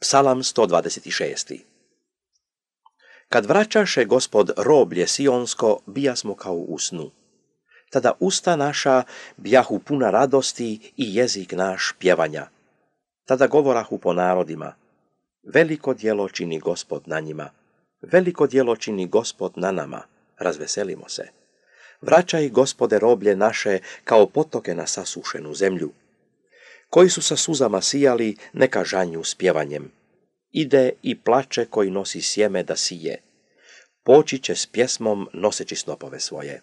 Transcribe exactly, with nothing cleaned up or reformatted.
Psalam sto dvadeset šest. Kad vraćaše Gospod roblje sionsko, bijasmo kao u snu. Tada usta naša bjahu puna radosti i jezik naš pjevanja. Tada govorahu po narodima, veliko djelo čini Gospod na njima, veliko djelo čini Gospod na nama, razveselimo se. Vraćaj, Gospode, roblje naše kao potoke na sasušenu zemlju. Koji su sa suzama sijali, neka žanju s pjevanjem. Ide i plače koji nosi sjeme da sije. Poći će s pjesmom noseći snopove svoje.